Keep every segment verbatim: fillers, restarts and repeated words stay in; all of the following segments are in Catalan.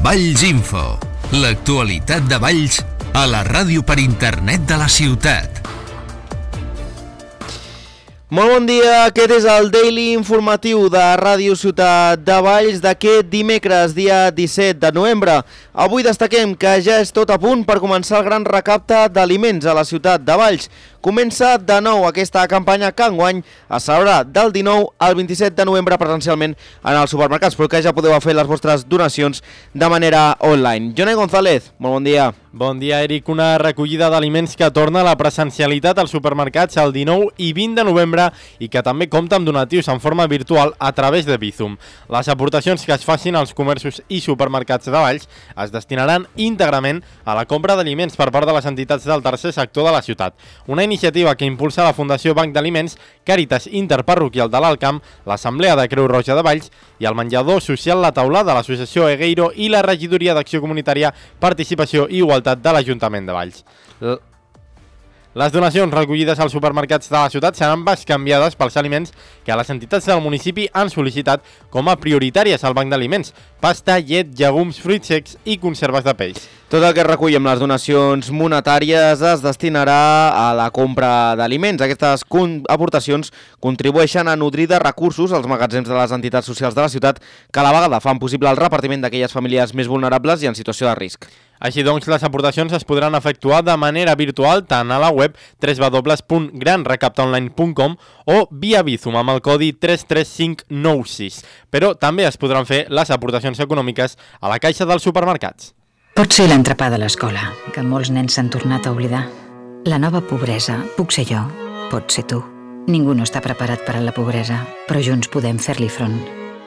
Valls Info, l'actualitat de Valls a la ràdio per internet de la ciutat. Molt bon dia, aquest és el Daily Informatiu de Ràdio Ciutat de Valls d'aquest dimecres, dia disset de novembre. Avui destaquem que ja és tot a punt per començar el gran recapte d'aliments a la ciutat de Valls. Comença de nou aquesta campanya que enguany es celebrarà del dinou al vint-i-set de novembre presencialment en els supermercats, però que ja podeu fer les vostres donacions de manera online. Jonai González, molt bon dia. Bon dia, Eric. Una recollida d'aliments que torna a la presencialitat als supermercats el dinou i vint de novembre i que també compta amb donatius en forma virtual a través de Bizum. Les aportacions que es facin als comerços i supermercats de Valls es destinaran íntegrament a la compra d'aliments per part de les entitats del tercer sector de la ciutat. Una iniciativa que impulsa la Fundació Banc d'Aliments, Càritas Interparroquial de l'Alcamp, l'Assemblea de Creu Roja de Valls i el menjador social La Taulada de l'Associació Egueiro i la Regidoria d'Acció Comunitària, Participació i Igualtat de l'Ajuntament de Valls. L Les donacions recollides als supermercats de la ciutat seran bescanviades pels aliments que les entitats del municipi han sol·licitat com a prioritàries al banc d'aliments: pasta, llet, llegums, fruits secs i conserves de peix. Tot el que es recull amb les donacions monetàries es destinarà a la compra d'aliments. Aquestes aportacions contribueixen a nodrir de recursos als magatzems de les entitats socials de la ciutat, que a la vegada fan possible el repartiment d'aquelles famílies més vulnerables i en situació de risc. Així doncs, les aportacions es podran efectuar de manera virtual tant a la web w w w punt gran recapta online punt com o via Bizum amb el codi tres tres cinc nou sis. Però també es podran fer les aportacions econòmiques a la caixa dels supermercats. Pot ser l'entrepà de l'escola, que molts nens s'han tornat a oblidar. La nova pobresa puc ser jo, pot ser tu. Ningú no està preparat per a la pobresa, però junts podem fer-li front.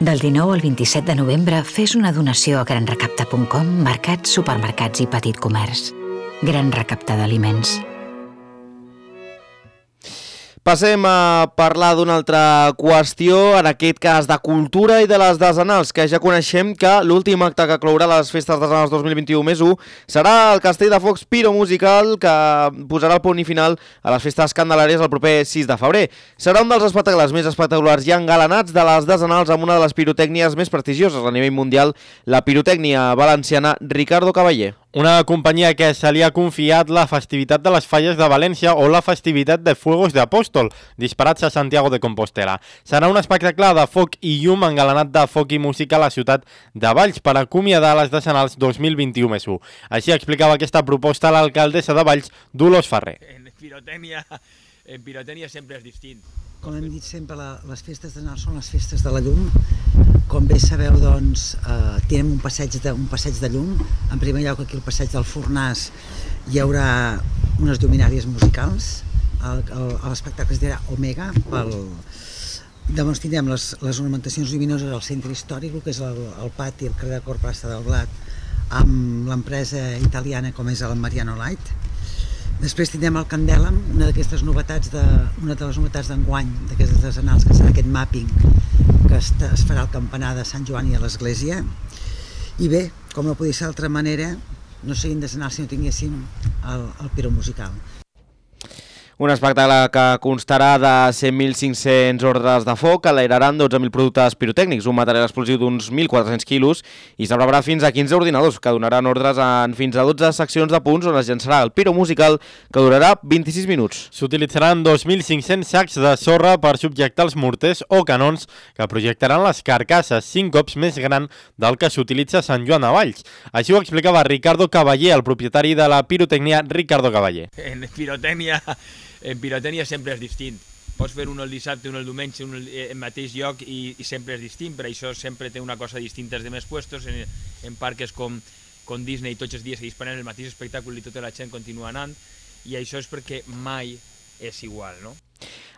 Del dinou al vint-i-set de novembre fes una donació a gran recapta punt com, mercats, supermercats i petit comerç. Gran recapta d'aliments. Passem a parlar d'una altra qüestió, en aquest cas de cultura i de les desenals, que ja coneixem que l'últim acte que clourà les festes desenals dos mil vint-i-u més u serà el Castell de Focs Piromusical, que posarà el punt i final a les festes candelàries el proper sis de febrer. Serà un dels espectacles més espectaculars i engalanats de les desenals amb una de les pirotècnies més prestigioses a nivell mundial, la pirotècnia valenciana Ricardo Cavaller. Una companyia que se li ha confiat la festivitat de les Falles de València o la festivitat de Fuegos de Apóstol, disparats a Santiago de Compostela. Serà un espectacle de foc i llum engalanat de foc i música a la ciutat de Valls per acomiadar les decenals dos mil vint-i-u més u. Així explicava aquesta proposta l'alcaldessa de Valls, Dolors Ferrer. En pirotècnia, en pirotènia sempre és distint. Com hem dit sempre, la, les festes de Nadal són les festes de la llum. Com bé sabeu, doncs, eh, tenim un passeig, de, un passeig de llum. En primer lloc, aquí al passeig del Fornàs hi haurà unes lluminàries musicals. L'espectacle es dirà Omega. Pel... Llavors tindrem les, les ornamentacions lluminoses al centre històric, que és el, el pati, el carrer de Cor Plaça del Blat, amb l'empresa italiana com és el Mariano Light. Després tindrem el Candela'm, una d'aquestes novetats de, una de les novetats d'enguany d'aquestes desenals, que serà aquest mapping que es, es farà al campanar de Sant Joan i a l'església. I bé, com no podia ser d'altra manera, no serien desenals si no tinguéssim el, el piromusical. Un espectacle que constarà de cent mil cinc-cents ordres de foc, que enlairaran dotze mil productes pirotècnics, un material explosiu d'uns mil quatre-cents quilos, i s'aprovarà fins a quinze ordinadors, que donaran ordres en fins a dotze seccions de punts on es llançarà el piromusical, que durarà vint-i-sis minuts. S'utilitzaran dos mil cinc-cents sacs de sorra per subjectar els morters o canons que projectaran les carcasses, cinc cops més gran del que s'utilitza a Sant Joan de Valls. Així ho explicava Ricardo Cavaller, el propietari de la pirotècnia Ricardo Cavaller. En pirotènia... En pirotènia sempre és distint. Pots fer un el dissabte, un el diumenge, un el mateix lloc i, i sempre és distint. Per això sempre té una cosa distinta als demés puestos. En, en parques com, com Disney tots els dies se disparen el mateix espectacle i tota la gent continua anant. I això és perquè mai és igual, no?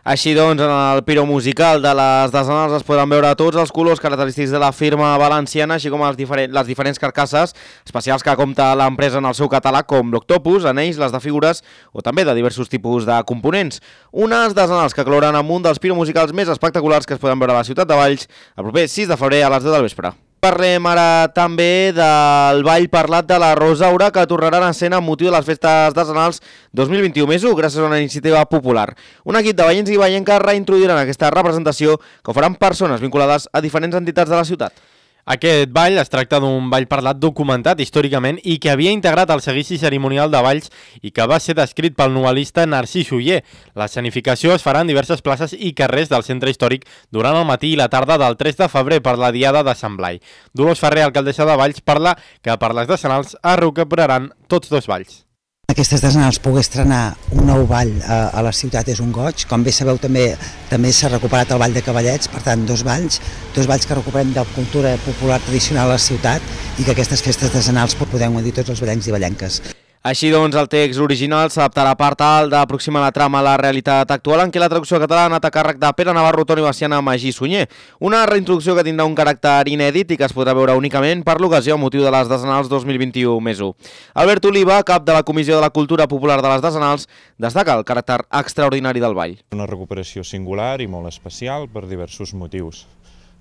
Així doncs, en el piromusical de les desenals es poden veure tots els colors característics de la firma valenciana, així com els diferent, les diferents carcasses especials que compta l'empresa en el seu catàleg, com l'octopus, anells, les de figures o també de diversos tipus de components. Unes desenals que clouran amb un dels piromusicals més espectaculars que es poden veure a la ciutat de Valls el proper sis de febrer a les deu del vespre. Parlem ara també del ball parlat de la Rosaura, que tornaran a escena amb motiu de les festes decenals dos mil vint-i-u més u, gràcies a una iniciativa popular. Un equip de veïns i veienques reintroduiran aquesta representació, que ho faran persones vinculades a diferents entitats de la ciutat. Aquest ball es tracta d'un ball parlat documentat històricament i que havia integrat el seguici cerimonial de balls i que va ser descrit pel novel·lista Narcís Oller. L'escenificació es farà en diverses places i carrers del centre històric durant el matí i la tarda del tres de febrer per la Diada de Sant Blai. Dolors Ferrer, alcaldessa de Valls, parla que per les decenals es recuperaran tots dos balls. Aquestes decenals poder estrenar un nou ball a, a la ciutat és un goig. Com bé sabeu, també també s'ha recuperat el ball de Cavallets, per tant, dos balls, dos balls que recuperem de la cultura popular tradicional a la ciutat i que aquestes festes decenals podem dir tots els ballencs i ballenques. Així doncs, el text original s'adaptarà per tal d'aproximar la trama a la realitat actual, en què la traducció catalana ha anat a càrrec de Pere Navarro, Toni Baciana, Magí Sunyer. Una reintroducció que tindrà un caràcter inèdit i que es podrà veure únicament per l'ocasió amb motiu de les decenals dos mil vint-i-u més u. Albert Oliva, cap de la Comissió de la Cultura Popular de les Decenals, destaca el caràcter extraordinari del ball. Una recuperació singular i molt especial per diversos motius.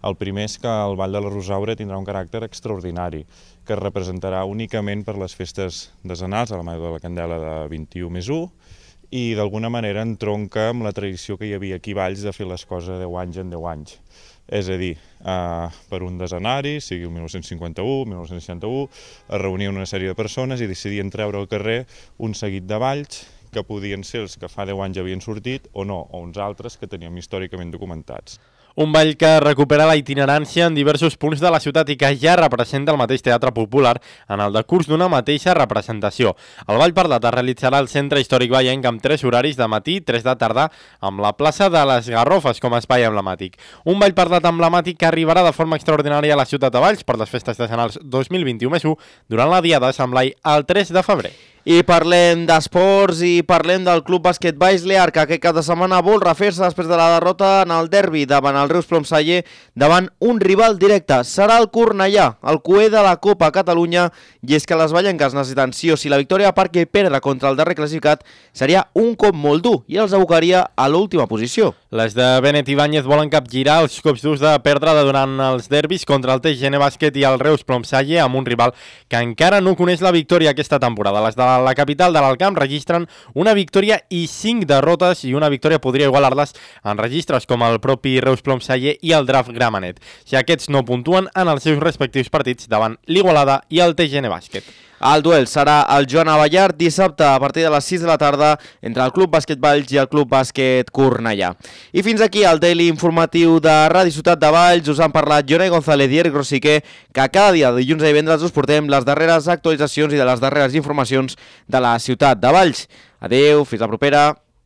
El primer és que el Ball de la Rosaura tindrà un caràcter extraordinari, que es representarà únicament per les festes decenals, a la Mare de la Candela de vint-i-u més u, i d'alguna manera entronca amb la tradició que hi havia aquí a Valls de fer les coses deu anys en deu anys. És a dir, eh, per un decenari, sigui el mil nou-cents cinquanta-u, mil nou-cents seixanta-u, es reunien una sèrie de persones i decidien treure al carrer un seguit de balls que podien ser els que fa deu anys havien sortit o no, o uns altres que teníem històricament documentats. Un ball que recupera la itinerància en diversos punts de la ciutat i que ja representa el mateix teatre popular en el decurs d'una mateixa representació. El ball parlat es realitzarà al Centre Històric Vallenc amb tres horaris de matí i tres de tarda amb la plaça de les Garrofes com a espai emblemàtic. Un ball parlat emblemàtic que arribarà de forma extraordinària a la ciutat de Valls per les festes decenals dos mil vint-i-u més u durant la Diada de Sant Blai el tres de febrer. I parlem d'esports i parlem del Club Bàsquet Valls Lear, que aquest cap de setmana vol refer-se després de la derrota en el derbi davant el Reus Plomsaller davant un rival directe. Serà el Cornellà, el cuer de la Copa Catalunya, i és que les vallenques necessiten sí o sí la victòria perquè perdre contra el darrer classificat seria un cop molt dur i els abocaria a l'última posició. Les de Benet Ibáñez volen capgirar els cops durs de perdre durant els derbis contra el T G N Bàsquet i el Reus Plomsaller amb un rival que encara no coneix la victòria aquesta temporada. Les de la capital de l'Alcamp registren una victòria i cinc derrotes i una victòria podria igualar-les en registres com el propi Reus Plomsaller i el Draft Gramenet, si aquests no puntuen en els seus respectius partits davant l'Igualada i el T G N Bàsquet. El duel serà el Joan Abellart dissabte a partir de les sis de la tarda entre el Club Bàsquet Valls i el Club Bàsquet Cornellà. I fins aquí el Daily Informatiu de Ràdio Ciutat de Valls. Us han parlat Jonai González i Eric Rosiquer, que cada dia de dilluns a divendres us portem les darreres actualitzacions i de les darreres informacions de la ciutat de Valls. Adeu, fins la propera.